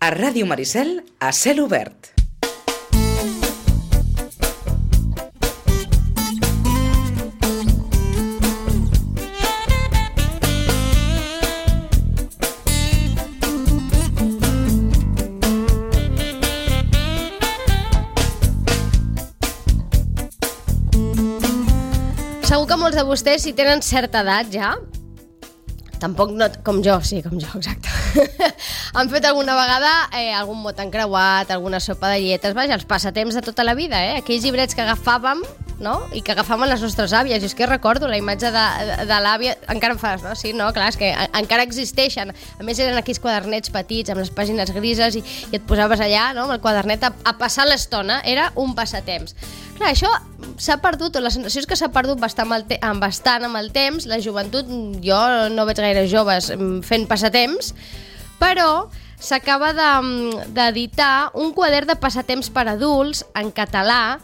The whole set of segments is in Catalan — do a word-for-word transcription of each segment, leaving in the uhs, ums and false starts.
A Ràdio Maricel, a cel obert. Segur que molts de vostès, si tenen certa edat ja, tampoc no, com jo, sí, com jo, exacte, han fet alguna vegada eh, algun mot encreuat, alguna sopa de lletres, vaja, els passatemps de tota la vida, eh? Aquells llibrets que agafàvem, no?, i que agafàvem les nostres àvies. I és que recordo la imatge de, de, de l'àvia, encara em fas, no? Sí, no, clar, és que a, encara existeixen. A més, eren aquells quadernets petits amb les pàgines grises i, i et posaves allà, no?, amb el quadernet a, a passar l'estona. Era un passatemps. Clar, això s'ha perdut, o la sensació és que s'ha perdut bastant amb, el te- amb bastant amb el temps. La joventut, jo no veig gaire joves fent passatemps, però s'acaba de, d'editar un quadern de passatemps per adults en català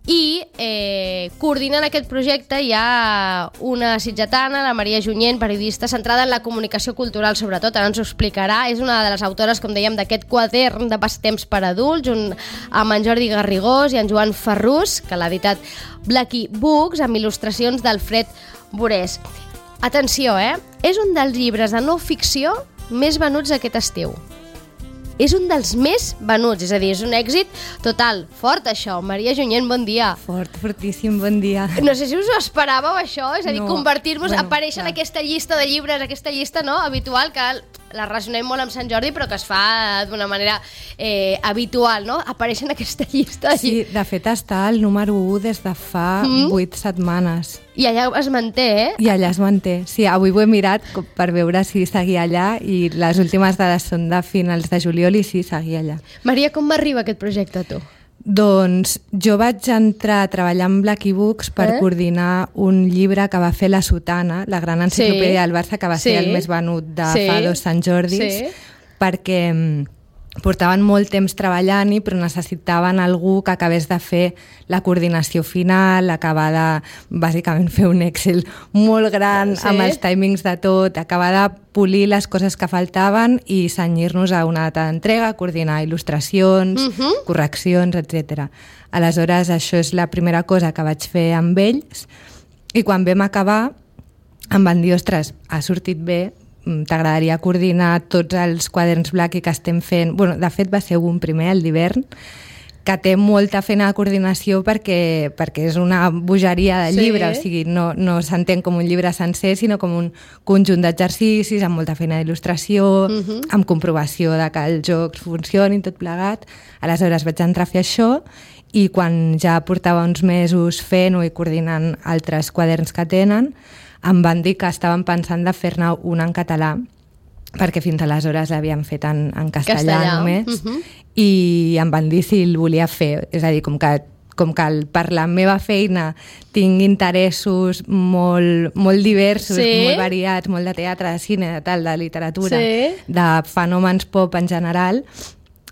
i eh, coordinant aquest projecte hi ha una sitgetana, la Maria Junyent, periodista centrada en la comunicació cultural sobretot, ara ens ho explicarà. És una de les autores, com dèiem, d'aquest quadern de passatemps per adults, un, amb en Jordi Garrigós i en Joan Ferrús, que l'ha editat Blacky Books, amb il·lustracions d'Alfred Borés. Atenció, eh? És un dels llibres de no ficció més venuts aquest estiu. És un dels més venuts, és a dir, és un èxit total. Fort, això. Maria Junyent, bon dia. Fort, fortíssim, bon dia. No sé si us ho esperàveu, això, és a dir, no, convertir-vos, bueno, aparèixer en aquesta llista de llibres, aquesta llista, no?, habitual, que la relacionem molt amb Sant Jordi, però que es fa d'una manera eh, habitual, no?, aparèixer en aquesta llista de Sí, llibres. de fet està al número u des de fa Mm. vuit setmanes. I allà es manté, eh? I allà es manté. Sí, avui ho he mirat co- per veure si seguia allà i les últimes dades són de finals de juliol i sí, seguia allà. Maria, com m'arriba aquest projecte a tu? Doncs jo vaig entrar a treballar amb Blacky Books per Eh? coordinar un llibre que va fer La Sotana, la gran enciclopèdia Sí. del Barça, que va Sí. ser el més venut de Sí. fa dos Sant Jordis, Sí. perquè mm, portaven molt temps treballant-hi, però necessitaven algú que acabés de fer la coordinació final, acabar de, bàsicament, fer un Excel molt gran, Sí. amb els timings de tot, acabar de polir les coses que faltaven i cenyir-nos a una data d'entrega, coordinar il·lustracions, Mhm. correccions, etcètera. Aleshores, això és la primera cosa que vaig fer amb ells, i quan vam acabar em van dir, ostres, ha sortit bé, t'agradaria coordinar tots els quaderns Blacky que estem fent. Bueno, de fet va ser un primer, el d'hivern, que té molta feina de coordinació perquè, perquè és una bogeria de Sí. llibre, o sigui, no, no s'entén com un llibre sencer, sinó com un conjunt d'exercicis amb molta feina d'il·lustració, Mhm. amb comprovació de que els jocs funcionin, tot plegat. Aleshores vaig entrar a fer això i quan ja portava uns mesos fent-ho i coordinant altres quaderns que tenen, em van dir que estaven pensant de fer-ne un en català, perquè fins aleshores l'havien fet en, en castellà, Castellà, només, mhm. i em van dir si el volia fer. És a dir, com que, com que el, per la meva feina tinc interessos molt, molt diversos, Sí. molt variats, molt de teatre, de cine, de tal, de literatura, Sí. de fenòmens pop en general,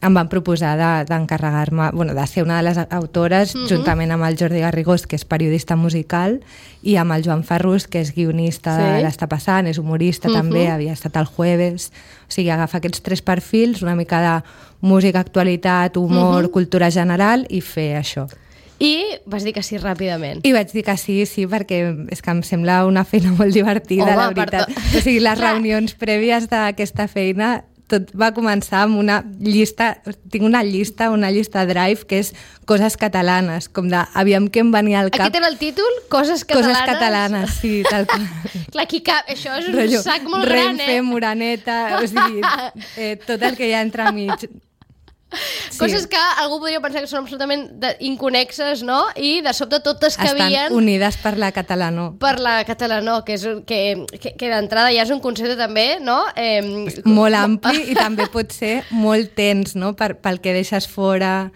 em van proposar de, d'encarregar-me, bueno, de ser una de les autores, Mhm. juntament amb el Jordi Garrigós, que és periodista musical, i amb el Joan Ferrús, que és guionista Sí. de l'Està passant, és humorista Mhm. també, havia estat al Jueves. O sigui, agafa aquests tres perfils, una mica de música, actualitat, humor, Mhm. cultura general, i fer això. I vas dir que sí ràpidament. I vaig dir que sí, sí, perquè és que em sembla una feina molt divertida, Home, la veritat. perdó. O sigui, les Clar. reunions prèvies d'aquesta feina, tot va començar amb una llista, tinc una llista, una llista Drive, que és coses catalanes, com de, aviam què em venia al cap. Aquest era el títol? Coses catalanes? Coses catalanes, sí, tal qual. Clar, aquí cap, això és un Rotllo, sac molt gran, Renfe, eh? Moraneta, o sigui, eh, tot el que hi ha entremig. Sí. Coses que algú podria pensar que són absolutament de, inconexes, no? I de sobte totes Estan cabien unides per la catalanó. per la catalanó, que, és, un- que, que, que d'entrada ja és un concepte també, no? Eh, Molt ampli i també pot ser molt tens, no? Per, pel que deixes fora,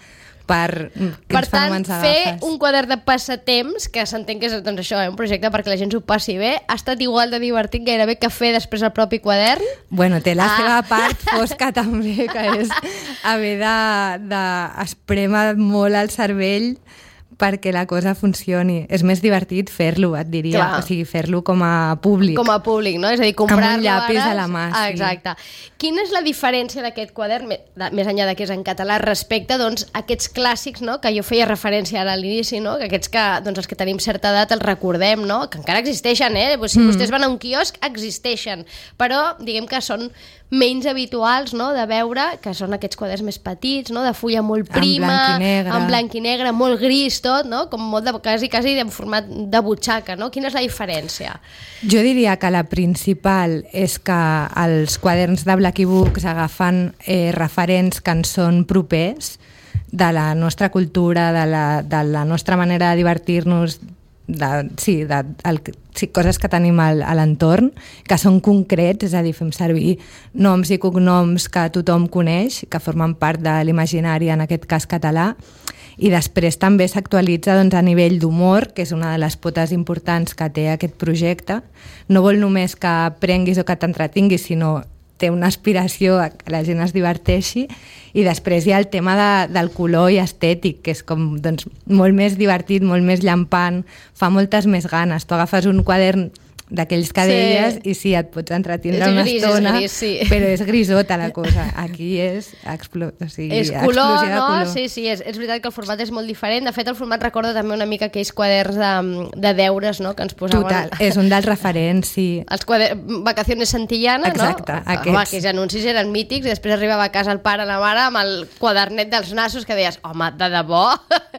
per Per quins tant, fenòmens fer agafes. un quadern de passatemps, que s'entén que és doncs, això, eh, un projecte perquè la gent s'ho passi bé, ha estat igual de divertit gairebé que fer després el propi quadern. Bueno, té la Ah. seva part fosca també, que és haver de, de esprémer molt el cervell perquè la cosa funcioni. És més divertit fer-lo, et diria. Clar. O sigui, fer-lo com a públic. Com a públic, no? És a dir, comprar-lo amb un llapis ara... a la mà, sí. Ah, exacte. Quina és la diferència d'aquest quadern, més enllà de que és en català, respecte doncs, a aquests clàssics, no? Que jo feia referència ara a l'inici, no? Que aquests que, doncs, els que tenim certa edat els recordem, no? Que encara existeixen, eh? Si mm. vostès van a un quiosc, existeixen. Però, diguem que són menys habituals, no?, de veure, que són aquests quaders més petits, no?, de fulla molt prima, en blanc i negre, en blanc i negre, molt gris tot, no?, com molt de, quasi, quasi en format de butxaca, no? Quina és la diferència? Jo diria que la principal és que els quaderns de Blacky Books agafen eh, referents que ens són propers de la nostra cultura, de la, de la nostra manera de divertir-nos, de, sí, de, el, sí, coses que tenim al, a l'entorn, que són concrets, és a dir, fem servir noms i cognoms que tothom coneix, que formen part de l'imaginari, en aquest cas català, i després també s'actualitza doncs, a nivell d'humor, que és una de les potes importants que té aquest projecte. No vol només que aprenguis o que t'entretinguis, sinó té una aspiració a que la gent es diverteixi, i després hi ha el tema de, del color i estètic, que és com doncs, molt més divertit, molt més llampant, fa moltes més ganes. Tu agafes un quadern d'aquells que Sí. deies i sí, et pots entretindre És una gris, és estona, gris, sí. però és grisota la cosa. Aquí és, explo o sigui, És color, explosió de no? color. Sí, sí, és, és veritat que el format és molt diferent. De fet, el format recorda també una mica aquells quaderns de, de deures, no?, que ens posaven... Total, és un dels referents, sí. Els quaderns, Vacaciones Santillana, Exacte, no? aquests. Home, aquells anuncis eren mítics, i després arribava a casa el pare o la mare amb el quadernet dels nassos que deies, home, de debò?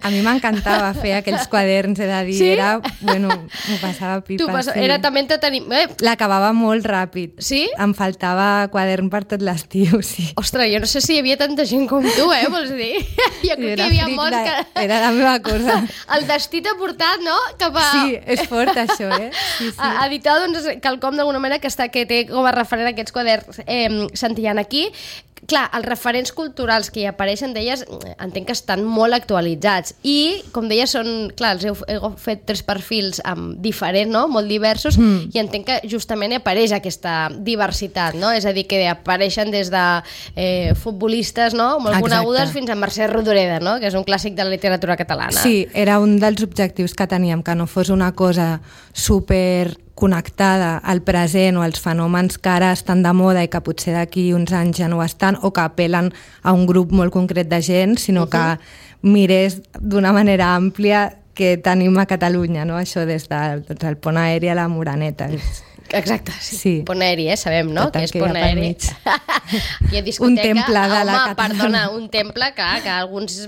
A mi m'encantava fer aquells quaderns, he de dir, Sí? era, bueno, m'ho passava pipa, Tu pas... sí. Era també entreteniment. Eh, L'acabava molt ràpid. Sí? Em faltava quadern per tot l'estiu, sí. ostres, jo no sé si hi havia tanta gent com tu, eh, vols dir? Jo crec que hi havia fric molts de- que... Era la meva cosa. El destí t'ha portat, no?, cap a... Sí, és fort això, eh? Sí, sí. A editar, doncs, quelcom d'alguna manera que, està, que té com a referent aquests quaderns eh, Santillana aquí. Clar, els referents culturals que hi apareixen d'elles entenc que estan molt actualitzats i, com deia, són, clar, els heu, heu fet tres perfils um, diferents, no?, molt diversos, mm. i entenc que justament apareix aquesta diversitat, no? És a dir, que apareixen des de eh, futbolistes, no?, molt Exacte. conegudes, fins a Mercè Rodoreda, no?, que és un clàssic de la literatura catalana. Sí, era un dels objectius que teníem, que no fos una cosa super connectada al present o als fenòmens que ara estan de moda i que potser d'aquí uns anys ja no ho estan, o que apel·len a un grup molt concret de gent, sinó uh-huh. que mirés d'una manera àmplia que tenim a Catalunya, no? Això des del, doncs, el pont aeri a la Moraneta. Exacte, sí. Sí. Pont aeri, eh? Sabem, no?, Tot que el és que hi ha pont per aeri. mig. Aquí a discoteca, Un temple de la home, catalana. perdona, un temple que, que alguns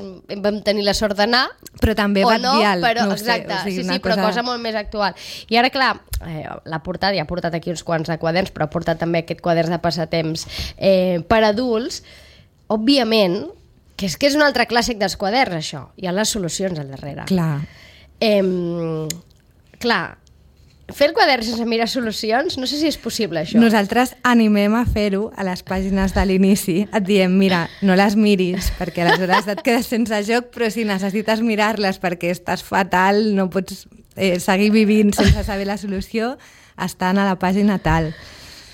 vam tenir la sort d'anar, Però també o no, Batllal, però, no ho sé, exacte, o sigui, sí, una sí, però cosa- cosa molt més actual. I ara, clar, eh, l'ha portat, ja ha portat aquí uns quants de quaderns, però ha portat també aquest quaderns de passatemps eh, per adults. Òbviament, que és que és un altre clàssic dels quaderns, això. Hi ha les solucions al darrere. Clar. Eh, clar, fer el quadern sense mirar solucions, no sé si és possible, això. Nosaltres animem a fer-ho a les pàgines de l'inici. Et diem, mira, no les miris, perquè aleshores et quedes sense joc, però si necessites mirar-les perquè estàs fatal, no pots eh, seguir vivint sense saber la solució, estan a la pàgina tal.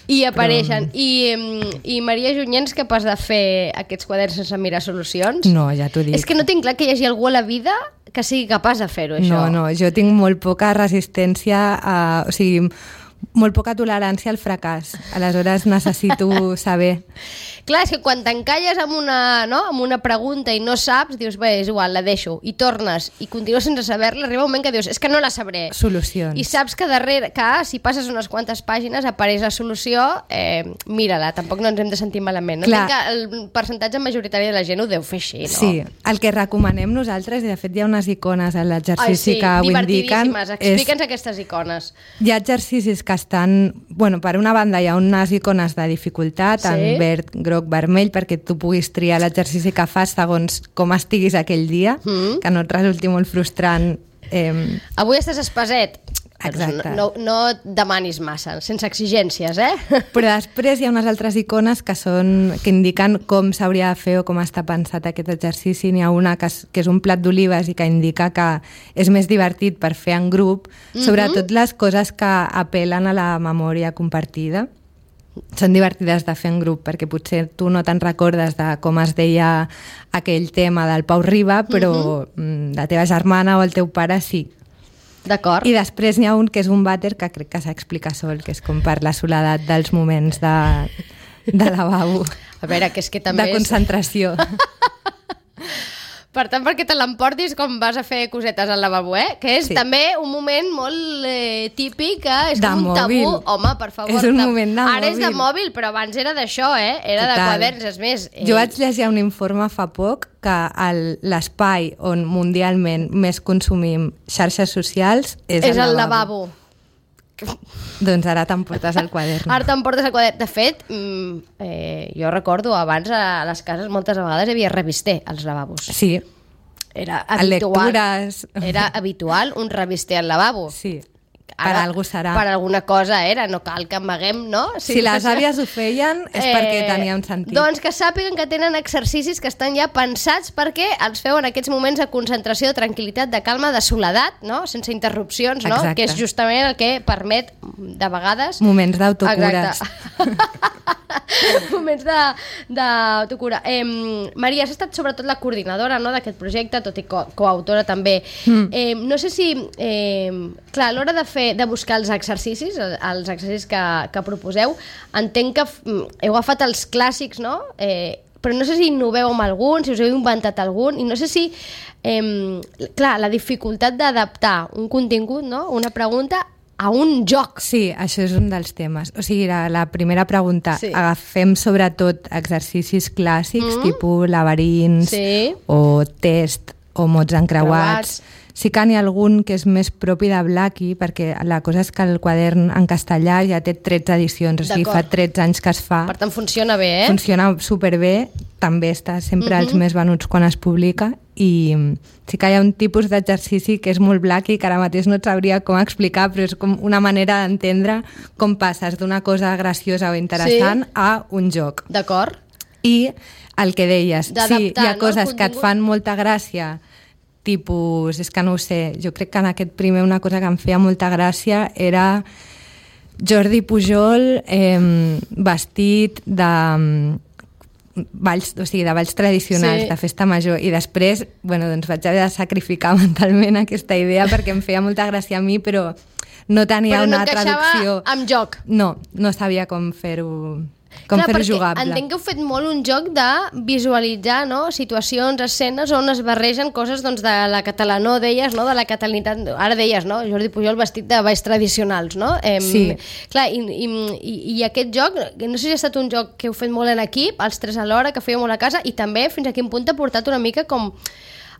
I apareixen. Però... I, I Maria Junyent és capaç de fer aquests quaderns sense mirar solucions? No, ja t'ho dic. És que no tinc clar que hi hagi algú a la vida que sigui capaç de fer-ho, això. No, no, jo tinc molt poca resistència, a, o sigui, molt poca tolerància al fracàs. Aleshores necessito saber. Clar, és que quan t'encalles amb una, no? amb una pregunta i no saps, dius, bé, és igual, la deixo. I tornes i continues sense saber-la, arriba un moment que dius, és que no la sabré. Solucions. I saps que darrere, que si passes unes quantes pàgines apareix la solució, eh, mira-la, tampoc no ens hem de sentir malament. No? Clar. Entenc que el percentatge majoritari de la gent ho deu fer així, no? Sí, el que recomanem nosaltres, i de fet hi ha unes icones a l'exercici Ai, sí, que ho indiquen... divertidíssimes. Explica'ns aquestes icones. Hi ha exercicis que estan... Bueno, per una banda hi ha unes icones de dificultat, Sí. en verd, groc, vermell, perquè tu puguis triar l'exercici que fas segons com estiguis aquell dia, Mm. que no et resulti molt frustrant. Eh, Avui estàs espaset. Exacte. No, no, no et demanis massa, sense exigències, eh? Però després hi ha unes altres icones que són que indiquen com s'hauria de fer o com està pensat aquest exercici. N'hi ha una que és, que és un plat d'olives i que indica que és més divertit per fer en grup, Mhm. sobretot les coses que apel·len a la memòria compartida. són divertides de fer en grup, perquè potser tu no te'n recordes de com es deia aquell tema del Pau Riba, però uh-huh. la teva germana o el teu pare sí. D'acord. I després n'hi ha un que és un vàter que crec que s'explica sol, que és com per la soledat dels moments de, de lavabo. A veure, que és que també de concentració. Per tant, perquè te l'emportis com vas a fer cosetes al lavabo, eh? Que és sí. també un moment molt eh, típic, eh? És de com un mòbil. tabú. Home, per favor. És un de... moment de Ara mòbil. és de mòbil, però abans era d'això, eh? Era Total. de quaderns, és més. Eh... Jo vaig llegir un informe fa poc que l'espai on mundialment més consumim xarxes socials és, és el lavabo. lavabo. Doncs ara t'emportes el quadern. Ara t'emportes el quadern. De fet, mm, eh, jo recordo abans a les cases moltes vegades hi havia revister als lavabos. Sí. Era habitual. Lectures. Era habitual un revister al lavabo. Sí. Per Ara, algú serà. Per alguna cosa era, no cal que amaguem, no? Si, si les àvies ho feien és eh, perquè tenia un sentit. Doncs que sàpiguen que tenen exercicis que estan ja pensats perquè els feu en aquests moments de concentració, de tranquil·litat, de calma, de soledat, no? Sense interrupcions, no? Exacte. Que és justament el que permet, de vegades... Moments d'autocures. Moments d'autocura. Eh, Maria, has estat sobretot la coordinadora, no?, d'aquest projecte, tot i co coautora també. Mm. Eh, no sé si... Eh, clar, a l'hora de fer de buscar els exercicis, els exercicis que, que proposeu, entenc que heu agafat els clàssics, no? Eh, però no sé si innoveu amb algun, si us heu inventat algun, i no sé si, eh, clar, la dificultat d'adaptar un contingut, no?, una pregunta, a un joc. Sí, això és un dels temes. O sigui, la, la primera pregunta, sí. agafem sobretot exercicis clàssics, mm. tipus laberints, sí. o test, o mots encreuats. Creuats. Sí que n'hi ha algun que és més propi de Blackie, perquè la cosa és que el quadern en castellà ja té tretze edicions, o sigui, fa tretze anys que es fa. Per tant, funciona bé, eh? Funciona superbé, també està sempre mm-hmm. als més venuts quan es publica, i sí que hi ha un tipus d'exercici que és molt Blackie, que ara mateix no et sabria com explicar, però és com una manera d'entendre com passes d'una cosa graciosa o interessant sí. a un joc. D'acord. I el que deies, sí, hi ha no? coses que et fan molta gràcia, tipus, és que no ho sé, jo crec que en aquest primer una cosa que em feia molta gràcia era Jordi Pujol eh, vestit de balls, o sigui, de balls tradicionals, sí. de festa major, i després, bueno, doncs vaig haver de sacrificar mentalment aquesta idea perquè em feia molta gràcia a mi, però no tenia però no una traducció. Però no encaixava amb joc. No, no sabia com fer-ho... Com fer-ho jugable. Entenc que heu fet molt un joc de visualitzar, no?, situacions, escenes on es barregen coses, doncs, de la catalanó, deies, no?, de la catalanitat, ara deies, no?, Jordi Pujol vestit de balls tradicionals, no? Eh, sí. Clar, i, i, i aquest joc, no sé si ha estat un joc que heu fet molt en equip, els tres alhora, que fèieu molt a casa, i també fins a quin punt t'ha portat una mica com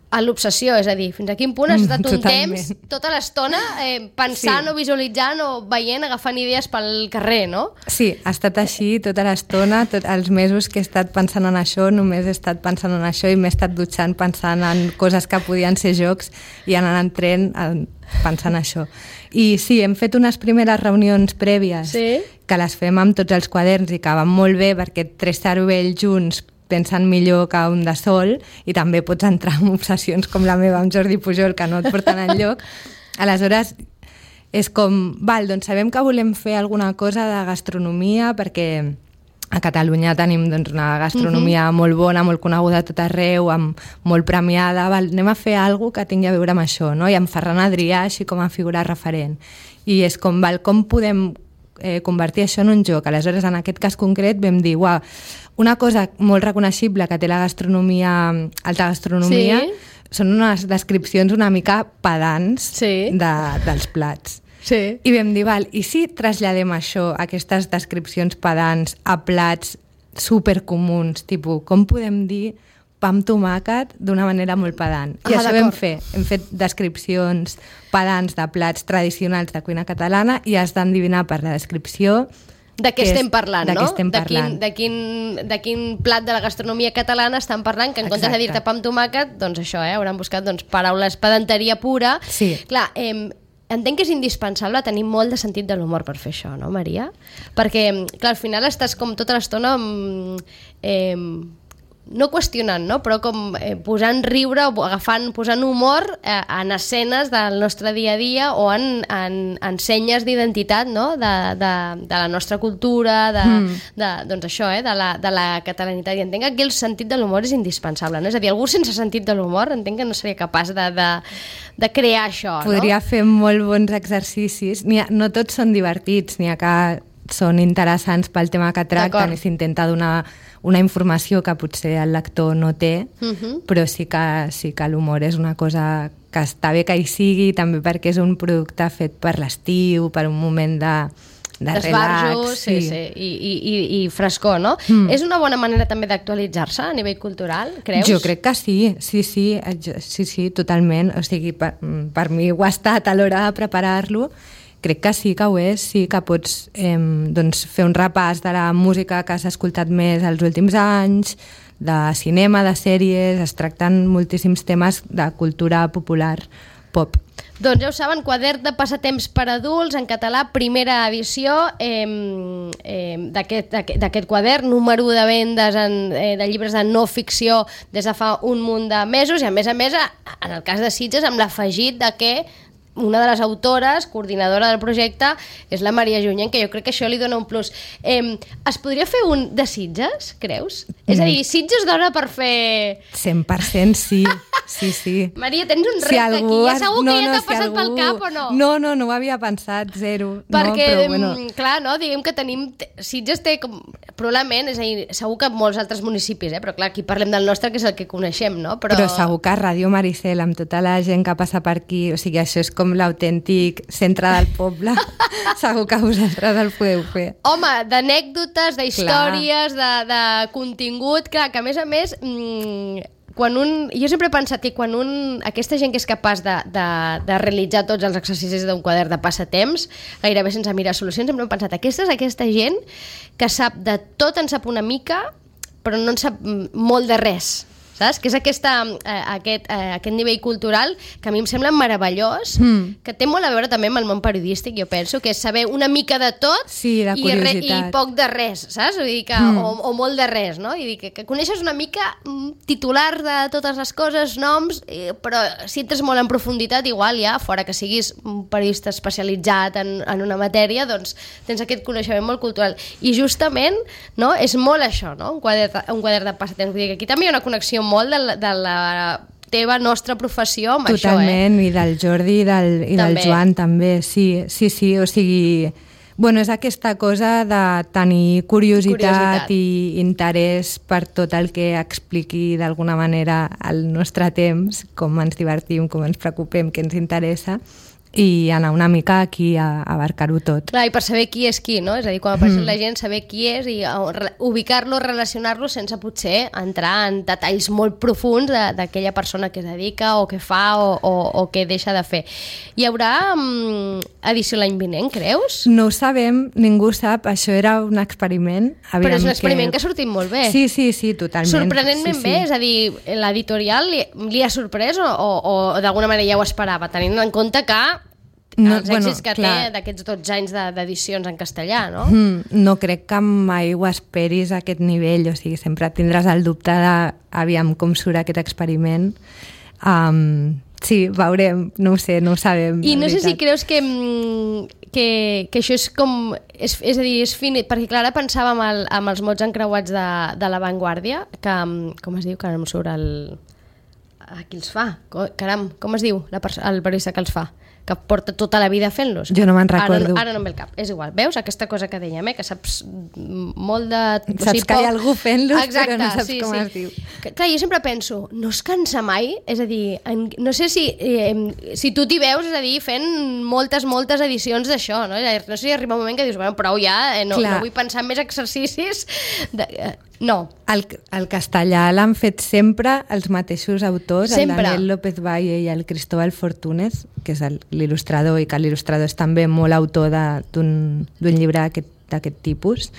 a l'obsessió, és a dir, fins a quin punt has estat un Totalment. temps, tota l'estona, eh, pensant sí. o visualitzant o veient, agafant idees pel carrer, no? Sí, ha estat així tota l'estona, tots els mesos que he estat pensant en això, només he estat pensant en això i m'he estat dutxant pensant en coses que podien ser jocs i anant en tren pensant en això. I sí, hem fet unes primeres reunions prèvies sí. que les fem amb tots els quaderns i que van molt bé perquè tres cervells junts pensen millor que un de sol, i també pots entrar en obsessions com la meva amb Jordi Pujol, que no et porten enlloc. Aleshores, és com, val, doncs sabem que volem fer alguna cosa de gastronomia, perquè a Catalunya tenim doncs, una gastronomia uh-huh. molt bona, molt coneguda a tot arreu, amb, molt premiada, val, anem a fer alguna que tingui a veure amb això, no? I amb Ferran Adrià així com a figura referent. I és com, val, com podem eh, convertir això en un joc? Aleshores, en aquest cas concret vam dir, uau, una cosa molt reconeixible que té la gastronomia, alta gastronomia, sí. són unes descripcions una mica pedants sí. de, dels plats. Sí. I vam dir, val, i si traslladem això, aquestes descripcions pedants, a plats supercomuns, tipus, com podem dir pa amb tomàquet d'una manera molt pedant? I ah, això vam fer. Hem fet descripcions pedants de plats tradicionals de cuina catalana i has d'endevinar per la descripció de què estem parlant, de no? Estem parlant. De, quin, de, quin, de quin plat de la gastronomia catalana estan parlant, que en comptes de dir-te pa amb tomàquet, doncs això, eh, hauran buscat doncs, paraules pedanteria pura. Sí. Clar, eh, entenc que és indispensable tenir molt de sentit de l'humor per fer això, no, Maria? Perquè, clar, al final estàs com tota l'estona eh, no qüestionant, no? Però com eh, posant riure o agafant, posant humor eh, en escenes del nostre dia a dia o en, en, en senyes d'identitat, no? De, de, de la nostra cultura, de, mm. de, doncs això, eh? de, la, de la catalanitat. I entenc que aquí el sentit de l'humor és indispensable, no? És a dir, algú sense sentit de l'humor entenc que no seria capaç de, de, de crear això, Podria no? fer molt bons exercicis. Ha, no tots són divertits, n'hi ha que són interessants pel tema que tracten i s'intenta donar una informació que potser el lector no té, uh-huh. però sí que, sí que l'humor és una cosa que està bé que hi sigui, també perquè és un producte fet per l'estiu, per un moment de, de relax. Sí, sí, i, i, i frescor, no? Mm. És una bona manera també d'actualitzar-se a nivell cultural, creus? Jo crec que sí, sí, sí, sí, sí, totalment. O sigui, per, per mi ho ha estat a l'hora de preparar-lo. Crec que sí que ho és, sí que pots eh, doncs fer un repàs de la música que has escoltat més els últims anys, de cinema, de sèries, es tracten moltíssims temes de cultura popular, pop. Doncs ja ho saben, Quadern de passatemps per adults, en català, primera edició eh, eh, d'aquest quadern, número de vendes en, eh, de llibres de no ficció des de fa un munt de mesos, i a més a més, en el cas de Sitges, amb l'afegit de que una de les autores, coordinadora del projecte, és la Maria Junyent, que jo crec que això li dona un plus. Eh, es podria fer un de Sitges, creus? Mm. És a dir, Sitges dona per fer... cent per cent sí, sí, sí. Maria, tens un repte si aquí, ja segur no, que ja t'ha no, passat si algú... pel cap o no? No, no, no ho havia pensat, zero. Perquè, no, però, bueno... clar, no? Diguem que tenim... Sitges té, com... probablement, és a dir, segur que molts altres municipis, eh? Però clar, aquí parlem del nostre, que és el que coneixem, no? Però, però segur que Ràdio Maricel, amb tota la gent que passa per aquí, o sigui, això és com l'autèntic centre del poble, segur que vosaltres el podeu fer. Home, d'anècdotes, d'històries, de, de contingut, clar, que a més a més, mmm, quan un, jo sempre he pensat que quan un, aquesta gent que és capaç de, de, de realitzar tots els exercicis d'un quadern de passatemps, gairebé sense mirar solucions, sempre he pensat, aquesta és aquesta gent que sap de tot, en sap una mica, però no en sap molt de res. Saps? Que és aquesta, eh, aquest, eh, aquest nivell cultural que a mi em sembla meravellós, mm. que té molt a veure també amb el món periodístic, jo penso, que és saber una mica de tot sí, de i, re, i poc de res, saps? Vull dir que, mm. o, o molt de res, no? I dir que, que coneixes una mica titular de totes les coses, noms, eh, però si entres molt en profunditat, igual ja, fora que siguis un periodista especialitzat en, en una matèria, doncs tens aquest coneixement molt cultural. I justament, no?, és molt això, no?, un quadern, un quadern de passatemps. Vull dir que aquí també hi ha una connexió molt de la, de la teva nostra professió amb totalment, això, eh? I del Jordi i del, i del Joan també, sí, sí, sí, o sigui, bueno, és aquesta cosa de tenir curiositat, curiositat. I interès per tot el que expliqui d'alguna manera el nostre temps, com ens divertim, com ens preocupem, què ens interessa, i anar una mica aquí a, a abarcar-ho tot. Clar, i per saber qui és qui, no? És a dir, quan apareix mm. la gent, saber qui és i ubicar-lo, relacionar-lo sense potser entrar en detalls molt profuns d'aquella persona que es dedica o que fa o, o, o que deixa de fer. Hi haurà um, edició l'any vinent, creus? No ho sabem, ningú sap, això era un experiment. Aviam. Però és un experiment que... que ha sortit molt bé. Sí, sí, sí, totalment. Sorprenentment sí, bé, sí. És a dir, l'editorial li, li ha sorprès o, o, o d'alguna manera ja ho esperava, tenint en compte que no, els èxits bueno, que clar. té d'aquests dotze anys d'edicions en castellà, no? Mm, no crec que mai ho esperis a aquest nivell, o sigui, sempre tindràs el dubte de aviam com surt aquest experiment. Um, sí, veurem, no ho sé, no ho sabem. I no sé si creus que, que, que això és com... És, és a dir, és finit, perquè clar, ara pensava amb, el, amb els mots encreuats de, de La Vanguardia, que, com es diu, que ara em surt el... A qui els fa? Caram, com es diu la el periodista que els fa? Que porta tota la vida fent-los. Jo no me'n recordo. Ara, ara no em ve el cap. És igual. Veus aquesta cosa que dèiem, eh? Que saps molt de... Saps o sigui, que poc... hi ha algú fent-los, però no saps sí, com sí. es diu. Que, clar, jo sempre penso, no es cansa mai? És a dir, en, no sé si, eh, si tu t'hi veus, és a dir, fent moltes, moltes edicions d'això, no? No sé si arriba un moment que dius, bueno, prou ja, eh, no, no vull pensar en més exercicis. De, eh, no. El, el castellà l'han fet sempre els mateixos autors, sempre. El Daniel López Valle i el Cristóbal Fortunes, que és l'il·lustrador, i que l'il·lustrador és també molt autor d'un llibre d'aquest tipus.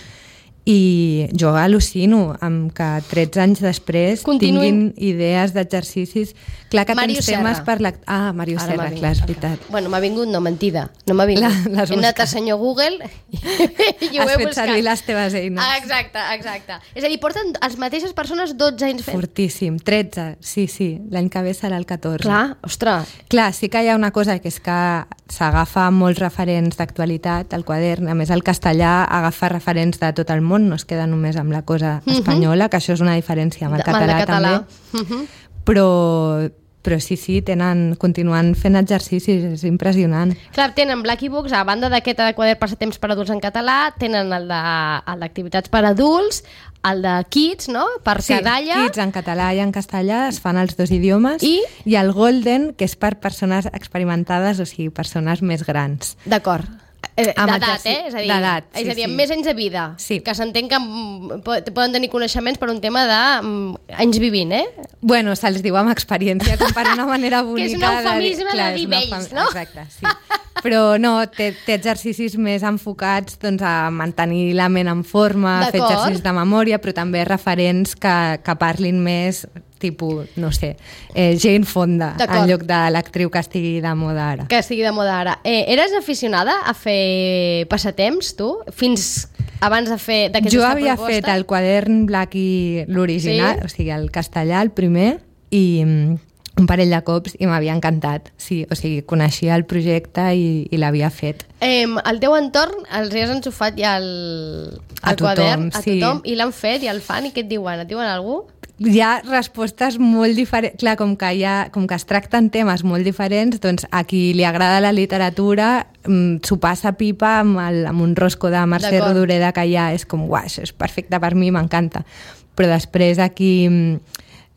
i jo al·lucino amb que tretze anys després Continuïn. tinguin idees d'exercicis. Clar que Màrius tens temes Serra. per la... Ah, Màrius Ara m'ha Serra, vingut. clar, és veritat. Bueno, m'ha vingut, no, mentida. No m'ha vingut. La- les He anat busques. a senyor Google i ho Has he fet buscat. servir les teves eines. Ah, exacte, exacte. És a dir, porten les mateixes persones dotze anys fent. Fortíssim. tretze, sí, sí. L'any que ve serà el catorze. Clar, ostres. Clar, sí que hi ha una cosa que és que s'agafa molts referents d'actualitat al quadern. A més, el castellà agafa referents de tot el món, no es queda només amb la cosa espanyola, que això és una diferència amb el Amb el català, català. també. Mhm. Però, però sí, sí, tenen, continuen fent exercicis, és impressionant. Clar, tenen Blacky Books, a banda d'aquest de quadern passatemps per adults en català, tenen el de- el d'activitats per adults, el de Kids, no?, per Sí, Cadalla. Kids en català i en castellà es fan els dos idiomes. I? I el Golden, que és per persones experimentades, o sigui, persones més grans. D'acord. Eh, Amb D'edat, exercici- eh? És a dir, d'edat, és a sí, dir, amb sí. més anys de vida. Sí. Que s'entén que mm, po- poden tenir coneixements per un tema de mm, anys vivint, eh? Bueno, se'ls diu amb experiència, com per una manera bonica. Que és un eufemisme de clar, dir és una vells, eufem- no? Exacte, sí. Però no, té, té exercicis més enfocats doncs, a mantenir la ment en forma, a fer D'acord. exercicis de memòria, però també referents que, que parlin més, tipus, no sé, eh, Jane Fonda, D'acord. en lloc de l'actriu que estigui de moda ara. Que estigui de moda ara. Eh, eres aficionada a fer passatemps, tu? Fins abans de fer d'aquesta Jo proposta? havia fet el quadern Black i l'original, Sí? o sigui, el castellà, el primer, i mm, un parell de cops i m'havia encantat. Sí, o sigui, coneixia el projecte i, i l'havia fet. Eh, al teu entorn els hi has enxufat ja el, el A tothom, quadern, a sí. tothom, i l'han fet, i el fan, i què et diuen? Et diuen algú? Hi ha respostes molt diferents. Clar, com que, hi ha, com que es tracten temes molt diferents, doncs a qui li agrada la literatura mm, s'ho passa pipa amb, el, amb un rosco de Mercè D'acord. Rodoreda que ja és com, uah, això és perfecte per mi, m'encanta. Però després a qui mm,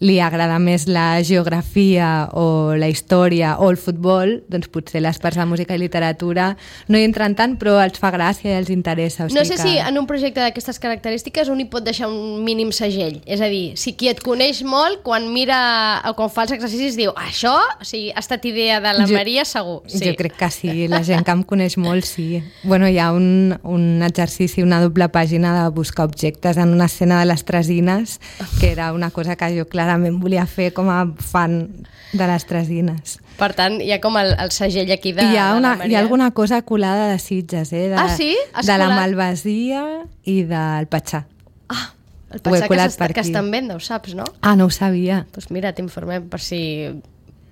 li agrada més la geografia o la història o el futbol, doncs potser les parts de música i literatura no hi entren tant, però els fa gràcia i els interessa. O sigui No sé que... si en un projecte d'aquestes característiques un hi pot deixar un mínim segell. És a dir, si qui et coneix molt, quan mira o quan fa els exercicis diu això, o sigui, ha estat idea de la Jo- Maria segur. Sí. Jo crec que sí, la gent que em coneix molt, sí. Bueno, hi ha un, un exercici, una doble pàgina de buscar objectes en una escena de les Tresines, que era una cosa que jo clarament volia fer com a fan de les Tresines. Per tant, hi ha com el, el segell aquí de, I hi ha, de una, la Maria. hi ha alguna cosa colada de Sitges, eh? De, Ah, sí? Has de la colat? Malvasia i del Patxà. Ah, el Ho he pensar que, colat s'està- per que aquí. està en venda, ho saps, no? Ah, no ho sabia. Doncs pues mira, t'informem per si,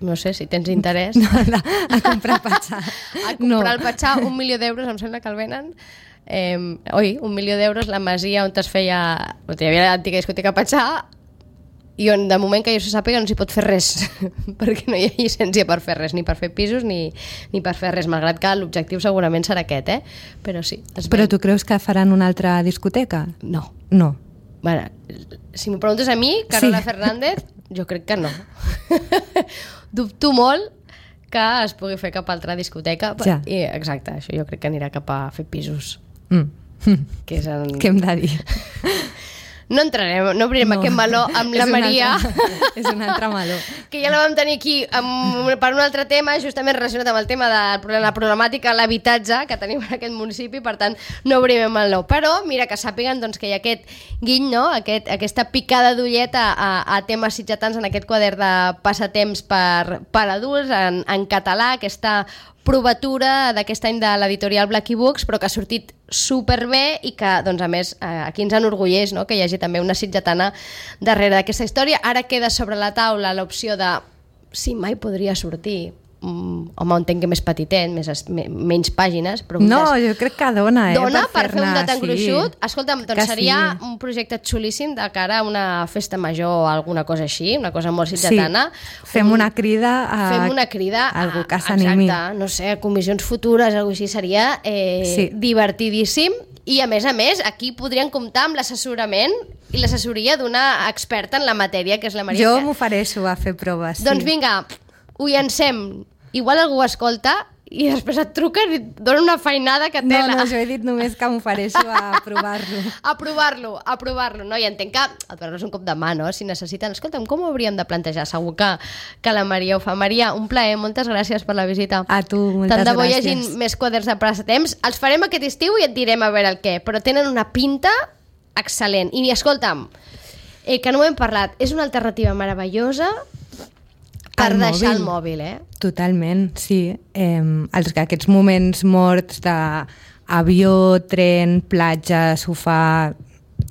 no sé, si tens interès. No, a, a comprar Patxà. A comprar el Patxà, un milió d'euros, em sembla que el venen. Eh, oi, un milió d'euros, la masia on es feia... On hi havia l'antiga discoteca Patxà, i on de moment que jo se sàpiga no s'hi pot fer res perquè no hi ha llicència per fer res, ni per fer pisos ni, ni per fer res, malgrat que l'objectiu segurament serà aquest, eh? Però sí, es Però ven. tu creus que faran una altra discoteca? No. No. Bueno, si m'ho preguntes a mi, Carola Sí. Fernández, jo crec que no. Dubto molt que es pugui fer cap altra discoteca. Ja. I, exacte, això jo crec que anirà cap a fer pisos. Mm. Que és el... Què hem de dir? No entrarem, no obrirem No. aquest meló amb la És un Maria, altre- és un altre meló. que ja la vam tenir aquí amb, per un altre tema, justament relacionat amb el tema de la problemàtica de l'habitatge que tenim en aquest municipi, per tant, no obrirem el meló. Però, mira, que sàpiguen doncs, que hi ha aquest guiny, no? aquest, aquesta picada d'ulleta a, a temes sitgetans en aquest quadern de passatemps per, per adults, en, en català, aquesta provatura d'aquest any de l'editorial Blacky Books, però que ha sortit superbé i que, doncs, a més, eh, aquí ens enorgulleix, no?, que hi hagi també una sitgetana darrere d'aquesta història. Ara queda sobre la taula l'opció de si mai podria sortir, mm, home, entenc que més petitet, més, es- me, menys pàgines, però No, jo crec que dona, eh? dona per fer un fer-ne, dat engruixut. Escolta'm, doncs Que seria sí. un projecte xulíssim de cara a una festa major o alguna cosa així, una cosa molt sitgetana. Fem una crida a... Fem una crida a, algú que s'animi. exacte, no sé, a comissions futures, alguna així seria eh, Sí. divertidíssim. I a més a més, aquí podrien comptar amb l'assessorament i l'assessoria d'una experta en la matèria, que és la Maria. Jo Que- m'ofereixo a fer proves, sí. Doncs vinga, ho llancem. Igual algú ho escolta i després et truquen i et donen una feinada que No, tela. no, jo he dit només que m'ofereixo a provar-lo. A provar-lo, a provar-lo, no? I entenc que el donar és un cop de mà, no? Si necessiten, escolta'm, com ho hauríem de plantejar? Segur que, que la Maria ho fa. Maria, un plaer, moltes gràcies per la visita. A tu, moltes Tant de bo hi gràcies. hagin més quaders de passatemps. Els farem aquest estiu i et direm a veure el què, però tenen una pinta excel·lent. I escolta'm, eh, que no ho hem parlat, és una alternativa meravellosa per El deixar mòbil. el mòbil, eh? Totalment, sí. Eh, els, aquests moments morts d'avió, tren, platja, sofà,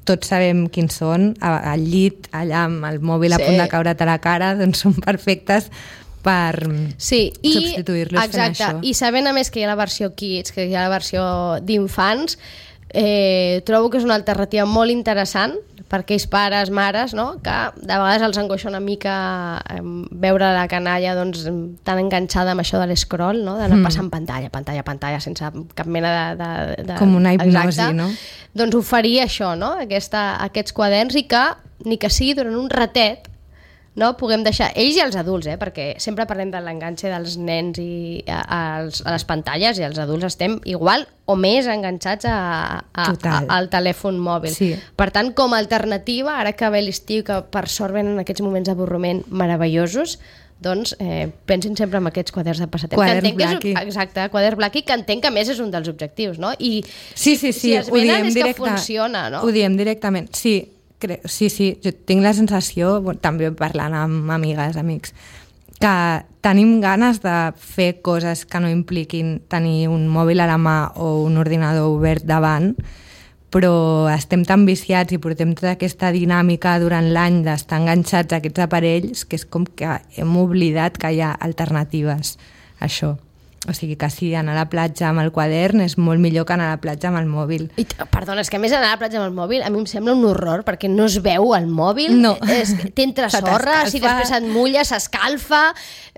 tots sabem quins són, a- al llit, allà amb el mòbil a Sí. punt de caure't a la cara, doncs són perfectes per Sí, i, substituir-los fent exacte, això. i sabent a més que hi ha la versió Kids, que hi ha la versió d'infants, eh, trobo que és una alternativa molt interessant per aquells pares, mares, no? que de vegades els angoixa una mica eh, veure la canalla doncs, tan enganxada amb això de l'escroll, no? d'anar Mm. passant pantalla, pantalla, pantalla, sense cap mena de... de, de Com una hipnosi, exacte. no? Doncs oferir això, no? Aquesta, aquests quaderns i que, ni que sigui durant un ratet, no? puguem deixar, ells i els adults, eh? perquè sempre parlem de l'enganxe dels nens i a, als, a les pantalles i els adults estem igual o més enganxats a, a, a, Total. al telèfon mòbil. Sí. Per tant, com a alternativa, ara que ve l'estiu, que per sort venen aquests moments d'avorriment meravellosos, doncs eh, pensin sempre en aquests quaderns de passatemps. Quaderns que entenc que Blacky. és, exacte, quaderns Blacky, que entenc que a més és un dels objectius, no? I Sí, sí, sí, si es ho venen diem és que directe, funciona, no? Ho diem directament, sí, cre sí, sí, jo tinc la sensació, bueno, també parlant amb amigues, amics, que tenim ganes de fer coses que no impliquin tenir un mòbil a la mà o un ordinador obert davant, però estem tan viciats i portem tota aquesta dinàmica durant l'any d'estar enganxats a aquests aparells que és com que hem oblidat que hi ha alternatives a això. O sigui que sí, anar a la platja amb el quadern és molt millor que anar a la platja amb el mòbil. I, perdona, és que a més anar a la platja amb el mòbil a mi em sembla un horror, perquè no es veu el mòbil, No. és, t'entra Se sorra, si t'escalfa. després et mulla, s'escalfa...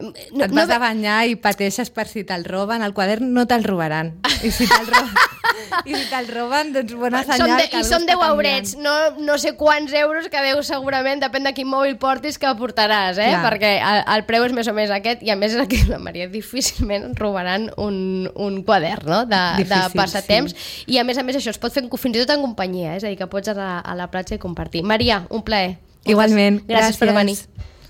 No, Et vas a banyar i pateixes per si te'l roben. El quadern no te'l robaran. I si te'l roben, i si te'l roben doncs bona Són senyal de, que I algú són està deu canviant. eurets, no, no sé quants euros que deu segurament, depèn de quin mòbil portis que portaràs, eh? Clar. perquè el, el preu és més o més aquest, i a més és el que la Maria difícilment robaran un, un quadern, no? de, de Difícil, passatemps, i a més a més això es pot fer fins i tot en companyia, eh? és a dir, que pots anar a la platja i compartir. Maria, un plaer. Igualment, Gràcies per venir. gràcies.